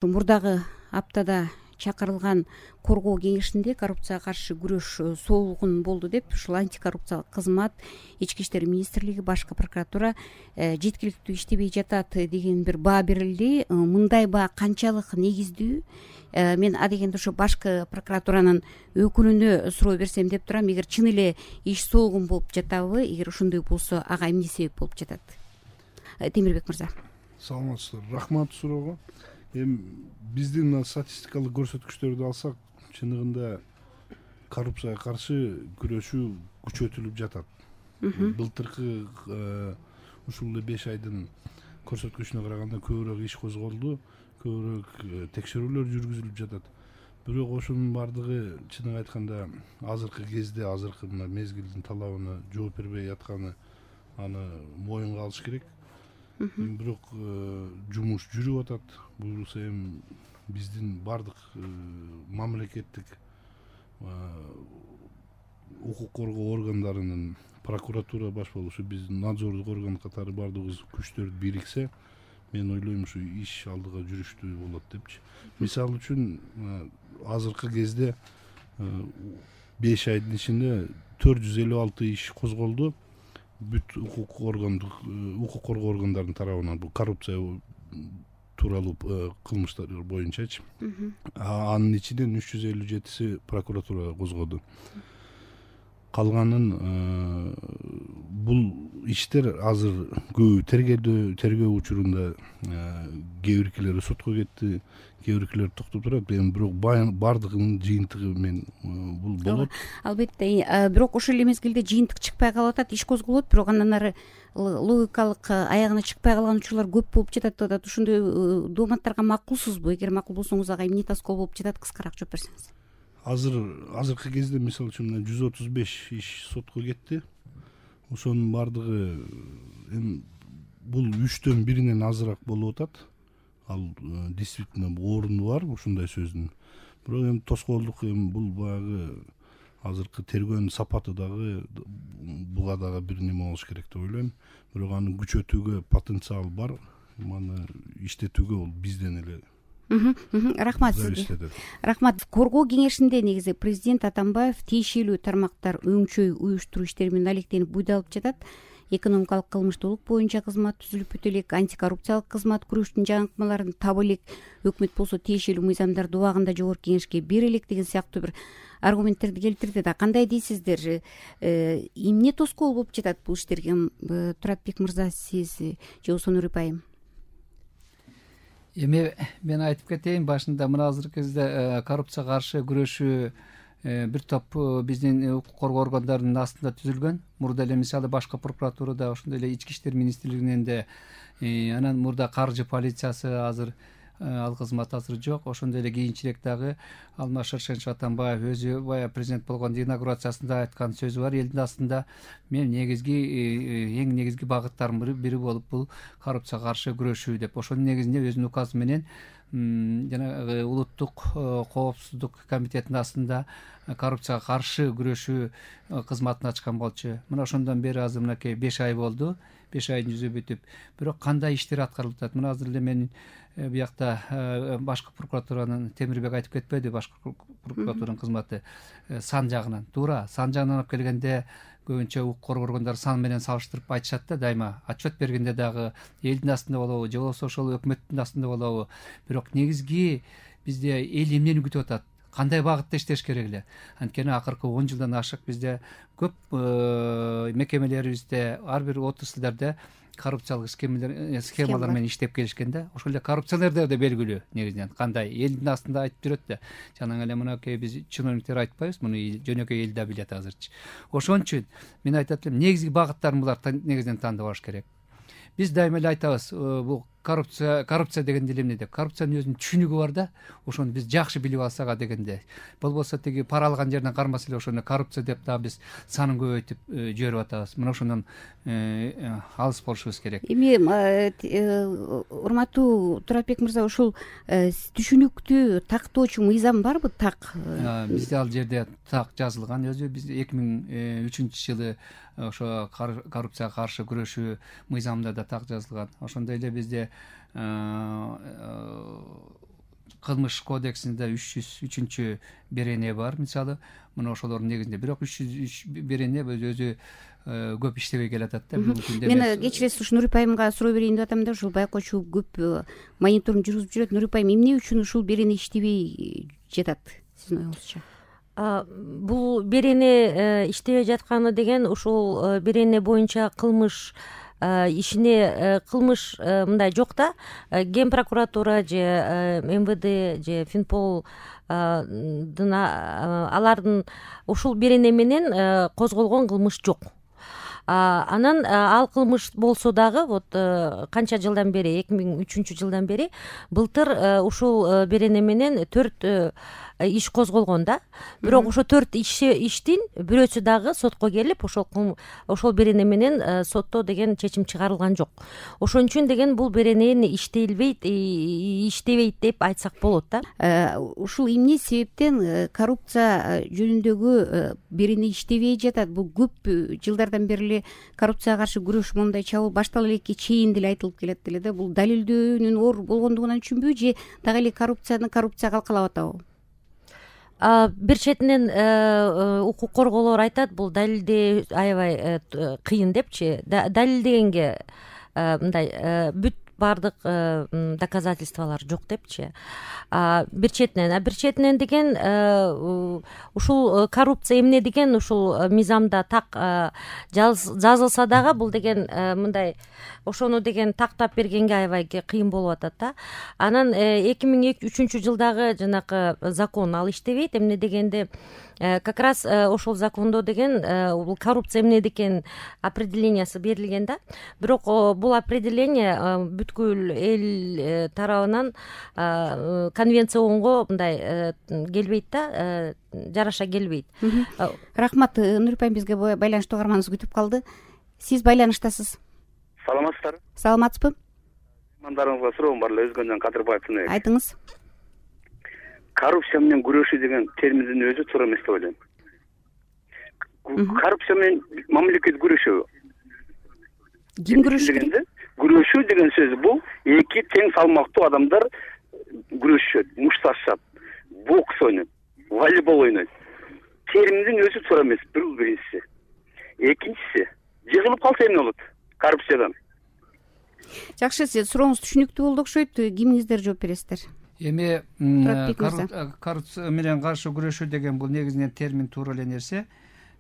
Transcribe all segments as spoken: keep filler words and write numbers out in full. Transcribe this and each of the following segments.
Мурдагы аптада чакырылган коргоо кеңешинде коррупцияга каршы күрөш солугун болду деп ушул антикоррупциялык кызмат, ички иштер министрлиги, башкы прокуратура жеткиликтүү иштебей жатат деген бир баа берилди. Мындай баа канчалык негиздүү? Мен адегенде ошо башкы прокуратуранын өкүлүнө суроо берсем деп турам. Эгер чын эле иш солугун болуп жатабы, эгер ошондой болсо ага эмне себеп болуп жатат? Темирбек мырза. Саламатсыздар. Рахмат суроого. Эми биздин мына статистикалык көрсөткүчтөрдү алсак, чындыгында коррупцияга каршы күрөшүү күчөтүлүп жатат. Былтыркы ушул эле беш айдын көрсөткүчүнө караганда көбүрөөк иш козголду, көбүрөөк текшерүүлөр жүргүзүлүп жатат. Бирок ошонун баардыгы чынын айтканда азыркы кезде, азыркы мына мезгилдин талабына жооп бербей атканы аны моюнга алыш керек. Бирок жумуш жүрүп атат. Буюрса эми биздин бардык мамлекеттик укук коргоо органдарынын, прокуратура баш болушу, биздин надзордук орган катары бардыгыбыз күчтөр бириксе, мен ойлойм ушу иш алдыга жүрүштүү болот депчи. Мисалы үчүн азыркы кезде беш айдын ичинде төрт жүз элүү алты иш козголду. Бүт укук органдык укук коргоо органдарынын тарабынан бул коррупция тууралуу кылмыштар боюнчачы. Анын ичинен үч жүз элүү жетиси прокуратура козгоду. Калганын бул иштер азыр көбү тергөө тергөө учурунда, кээ биркилери сотко кетти, кээ биркилери токтоп турат. Эми бирок бардыгынын жыйынтыгы мен бул болот. Албетте, бирок ошол эле мезгилде жыйынтык чыкпай калып атат, иш козголот, бирок андан ары логикалык аягына чыкпай калган учурлар көп болуп жатат деп атат. Ошондой дооматтарга макулсузбу? Эгер макул болсоңуз ага эмне тоскоол болуп жатат, кыскараак жооп берсеңиз. Азыр азыркы кезде мисалы үчүн жүз отуз беш иш сотко кетти. Ошонун баардыгы эми бул үчтөн биринен азыраак болуп атат. Ал действительно орунду бар ушундай сөздүн. Бирок эми тоскоолдук эми бул баягы азыркы тергөөнүн сапаты дагы буга дагы бир неме болуш керек деп ойлойм. Бирок аны күчөтүүгө потенциал бар. Маны иштетүүгө ол бизден эле. Рахмат сизге. Рахмат. Коргоо кеңешинде негизи президент Атамбаев тиешелүү тармактар өңчөй уюштуруу иштери менен алектенип буйдалып жатат. Экономикалык кылмыштуулук боюнча кызмат түзүлүп бүтө элек, антикоррупциялык кызмат күрөштүн жаңыртмаларын таба элек, өкмөт болсо тиешелүү мыйзамдарды убагында жогорку кеңешке бере элек деген сыяктуу бир аргументтерди келтирди да. Кандай дейсиздер? Эмне тоскоол болуп жатат бул иштерге? Туратбек мырза, сиз же болбосо Нурип айым? Эми мен айтып кетейин, башында мына азыркы кезде коррупцияга каршы күрөшүү бир топ биздин укук коргоо органдарынын астында түзүлгөн. Мурда эле мисалы башкы прокуратурада, ошондой эле ички иштер министрлигинен да, анан мурда каржы полициясы азыр ал кызмат азыр жок. Ошондой эле кийинчерээк дагы Алмаз Шаршенович Атамбаев өзү бая президент болгондо инаугурациясында айткан сөзү бар элдин астында. Мен негизги эң негизги багыттардын бири болуп бул коррупцияга каршы күрөшүү деп. Ошонун негизинде өзүнүн указы менен жанагы улуттук коопсуздук комитетинин астында коррупцияга каршы күрөшүү кызматын ачкан болчу. Мына ошондон бери азыр мынакей беш ай болду. беш айдын жүзү бүтүп. Бирок кандай иштер аткарылып атат? Мына азыр эле мен биякта башкы прокуратуранын, Темирбек айтып кетпеди, башкы прокуратуранын кызматы сан жагынан. Туура, сан жагынан алып келгенде көбүнчө укук коргоо органдары сан менен салыштырып айтышат да, дайыма. Отчет бергенде дагы элдин астында болобу, же болбосо ошол өкмөттүн астында болобу. Бирок негизги бизде эл эмнени күтүп атат? Кандай багытта иштеш керек эле? Анткени акыркы он жылдан ашык бизде көп мекемелерибизде, ар бир отраслдерде коррупциялык схемалар менен иштеп келишкен да. Ошол эле коррупционерлер да белгилүү негизинен. Кандай элдин астында айтып жүрөт да. Жанагы эле мынакей биз чиновниктер айтпайбыз, муну жөнөкөй эл да билет азырчы. Ошон үчүн мен айтат элем, негизги багыттарын булар негизинен тандап алыш керек. Биз дайыма эле айтабыз, бул коррупция коррупция дегенде эмне деп. Коррупциянын өзүнүн түшүнүгү бар да. Ошону биз жакшы билип алсак дегенде. Болбосо тиги пара алган жерден кармаса эле ошону коррупция деп дагы биз санын көбөйтүп жиберип атабыз. Мына ошондон алыс болушубуз керек. Эми урматтуу Туратбек мырза, ушул түшүнүктүү тактоочу мыйзам барбы? Так бизде ал жерде так жазылган. Өзү биз эки миң үчүнчү жылы ошо коррупцияга каршы күрөшүү мыйзамында да так жазылган. Ошондой эле бизде кылмыш кодексинде үч жүз үчүнчү берене бар мисалы. Мына ошолордун негизинде бирок үч жүз үч берене өзү көп иштебей келатат да. Мен кечиресиз ушу Нурипа айымга суроо берейин деп атам да. Ушул байкоочу көп мониторинг жүргүзүп жүрөт. Нурипа айым, эмне үчүн ушул берене иштебей жатат сиздин оюңузча? Бул берене иштебей жатканы деген ушул берене боюнча кылмыш ишине кылмыш мындай жок да. Ген прокуратура же эм вэ дэ же Финпол алардын ушул берене менен козголгон кылмыш жок. Анан ал кылмыш болсо дагы вот канча жылдан бери, эки миң үчүнчү жылдан бери былтыр ушул берене менен төрт иш козголгон да. Бирок ошо төрт иштин бирөөсү дагы сотко келип, ошол ошол берене менен сотто деген чечим чыгарылган жок. Ошон үчүн деген бул берене иштелбейт, иштебейт деп айтсак болот да. Ушул эмне себептен коррупция жөнүндөгү берене иштебей жатат? Бул көп жылдардан бери коррупцияга каршы күрөш, мондай чабуул баштала элекке чейин деле айтылып келет деле да. Бул далилдөөнүн оор болгондугунан үчүнбү же дагы эле коррупцияны коррупция калкалап атабы? Бир четинен укук коргоолор айтат, бул далилдөө аябай кыйын депчи. Далилдегенге мындай бүт баардык доказательстволор жок депчи. Бир четинен, а бир четинен деген ушул коррупция эмне деген ушул мыйзамда так жазылса дагы бул деген мындай ошону деген тактап бергенге аябай кыйын болуп атат да. Анан эки миң үчүнчү жылдагы жанакы закон ал иштебейт. Эмне дегенде как раз ошол закондо деген бул коррупция эмне деген определениясы берилген да. Бирок бул определение бүткүл эл тарабынан конвенцияга мындай келбейт да, жараша келбейт. Рахмат. Нурипа айым бизге байланыштуу каарманыбыз күтүп калды. Сиз байланыштасыз. Саламатсыздарбы? Саламатсызбы? Мындарыңызга суроом бар эле, Өзгөндөн Кадырбаевдин. Айтыңыз. Коррупция менен күрөшүү деген терминдин өзү туура эмес деп ойлойм. Коррупция менен мамлекет күрөшөбү? Ким күрөшүш керек? Күрөшүү деген сөз бул эки тең салмактуу адамдар күрөшүшөт, мушташат, бокс ойнойт, волейбол ойнойт. Терминдин өзү туура эмес, бул биринчиси. Экинчиси, жыгылып калса эмне болот коррупциядан? Жакшы, сурооңуз түшүнүктүү болду окшойт. Кимиңиздер жооп бересиздер? Эми коррупция менен каршы күрөшүү деген бул негизинен термин туура эле нерсе.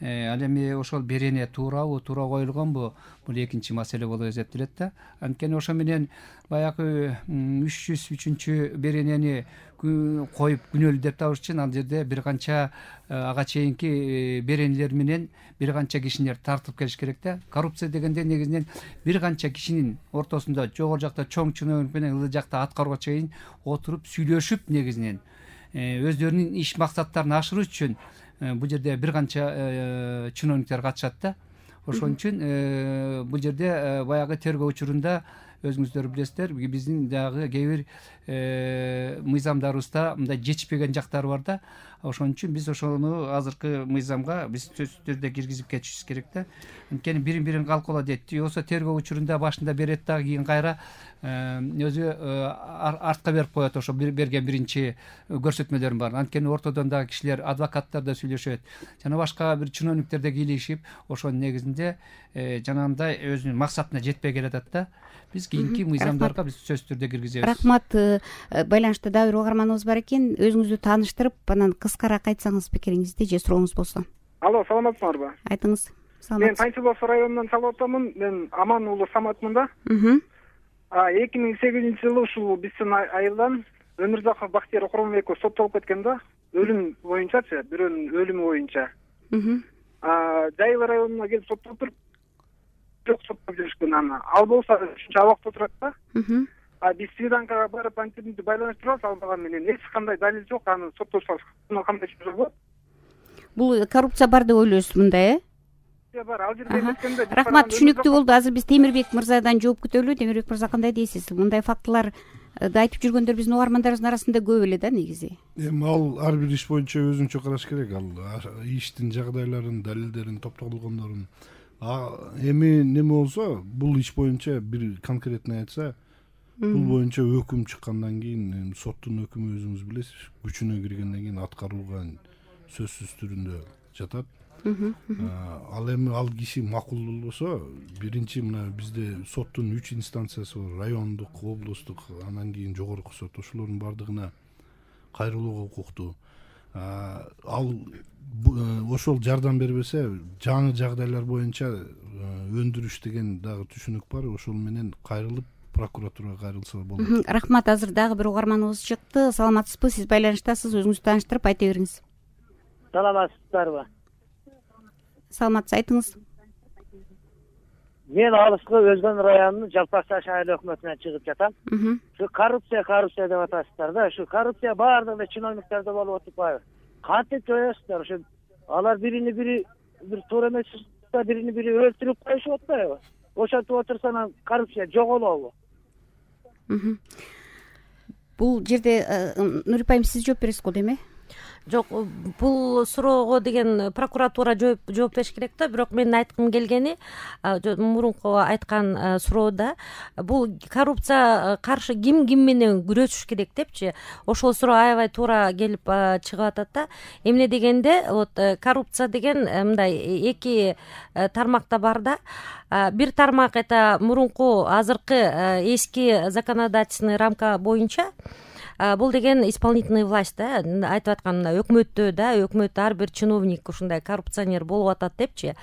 Ал эми ошол берене туурабы, туура коюлгонбу, бул экинчи маселе болуп эсептелет да. Анткени ошо менен баягы үч жүз үчүнчү беренени коюп күнөөлүү деп табыш үчүн ал жерде бир канча ага чейинки беренелер менен бир канча кишилер тартып келиш керек да. Коррупция дегенде негизинен бир канча кишинин ортосунда жогору жакта чоң чиновник менен ылдый жакта аткарууга чейин отуруп сүйлөшүп негизинен өздөрүнүн иш максаттарын ашыруу үчүн бул жерде бир канча чиновниктер катышат да. Ошон үчүн бул жерде баягы тергөө учурунда өзүңүздөр билесиздер, биздин дагы кээ бир мыйзамдарыбызда мындай жетишпеген жактары бар да. Ошон үчүн биз ошону азыркы мыйзамга биз сөзсүз түрдө киргизип кетишибиз керек да. Анткени бирин бирин калкалоо дейт. Болсо тергөө учурунда башында берет дагы, кийин кайра өзү артка берип коет ошо берген биринчи көрсөтмөлөрүн баарын. Анткени ортодон дагы кишилер, адвокаттар да сүйлөшөт, жана башка бир чиновниктер да кийлигишип, ошонун негизинде жанагындай өзүнүн максатына жетпей келатат да. Биз кийинки мыйзамдарга биз сөзсүз түрдө киргизебиз. Рахмат. Байланышта дагы бир угарманыбыз бар экен. Өзүңүздү тааныштырып, анан кыскараак айтсаңыз пикириңизди же сурооңуз болсо. Алло, саламатсыңарбы? Айтыңыз. Мен Панчилов районунан чалып атамын. Мен Аман уулу Саматмын да. эки миң сегизинчи жылы ушул биздин айылдан Өмүрзаков Бактияр Куромбеков соттолуп кеткен да. Өлүм боюнчачы, бирөөнүн өлүмү боюнча. Жайыл районуна келип соттолуп туруп жок соттоп жүрүшкөн аны. Ал болсо ушунча абакта отурат да. А биз Свиданкага барып антимди байланыштырабыз, албаган менен эч кандай далил жок, аны соттособуз кандай чөзө болот? Бул коррупция бар деп ойлойсуз мындай, э? Бар, ал жерде эмескенде. Рахмат, түшүнүктүү болду. Азыр биз Темирбек мырзадан жооп күтөлү. Темирбек мырза, кандай дейсиз? Мындай фактыларды айтып жүргөндөр биздин угармандарыбыздын арасында көп эле да негизи. Эми ал ар бир иш боюнча өзүнчө караш керек. Ал иштин жагдайларын, далилдерин, топтолгондорун. Эми неме болсо, бул иш боюнча бир конкретный айтса, бул боюнча өкүм чыккандан кийин соттун өкүмү өзүңүз билесиз күчүнө киргенден кийин аткарууга сөзсүз түрүндө жатат. Ал эми ал киши макул болбосо биринчи мына бизде соттун үч инстанциясы бар: райондук, облустук, анан кийин жогорку сот. Ошолордун баардыгына кайрылууга укуктуу. Ал ошол жардам бербесе жаңы жагдайлар боюнча өндүрүш деген дагы түшүнүк бар. Ошол менен кайрылып прокуратурага кайрылса болот. Рахмат. Азыр дагы бир угарманыбыз чыкты. Саламатсызбы? Сиз байланыштасыз. Өзүңүздү тааныштырып айта бериңиз. Саламатсыздарбы? Саламатсыз, айтыңыз. Мен алыскы Өзгөн районунун Жалпак Таш айыл өкмөтүнөн чыгып жатам. Şu коррупция, коррупция деп атасыздар да. Şu коррупция баардыгы чиновниктерде болуп атпайбы? Кантип жоесуздар? Ошо алар бирини бири бир туура эмес бирини бири өлтүрүп коюшуп атпайбы? Ошентип отурса анан коррупция жоголобу? Бул жерде Нурип айым сиз жооп бересиз го деме? Жок, бул суроого деген прокуратура жооп бериш керек да. Бирок менин айткым келгени мурунку айткан суроодо бул коррупция каршы ким ким менен күрөшүш керек депчи. Ошол суроо аябай туура келип чыгып атат да. Эмне дегенде, вот коррупция деген мындай эки тармакта бар да. Бир тармак это мурунку азыркы эски законодательный рамка боюнча бул деген исполнительный власть да, айтып аткан өкмөттө да, өкмөт ар бир чиновник ушундай коррупционер болуп атат депчи.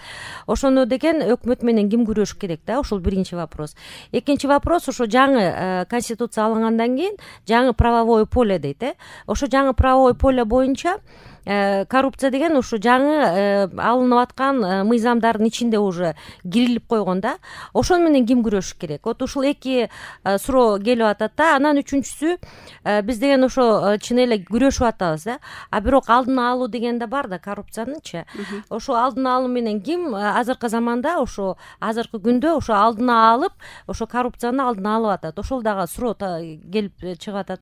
Ошону деген өкмөт менен ким күрөшүш керек да, ошол биринчи вопрос. Экинчи вопрос, ошо жаңы конституция алынгандан кийин жаңы правовое поле дейт, э. Ошо жаңы правовое поле боюнча коррупция деген ушу жаңы алынып аткан мыйзамдардын ичинде уже кирилип койгон да. Ошол менен ким күрөшүш керек? Вот ушул эки суроо келип атат да. Анан үчүнчүсү, биз деген ошо чын эле күрөшүп атабыз да. А бирок алдын алуу деген да бар да коррупциянынчы. Ошо алдын алуу менен ким азыркы заманда, ошо азыркы күндө ошо алдын алып, ошо коррупцияны алдын алып атат. Ошол дагы суроо келип чыгып атат.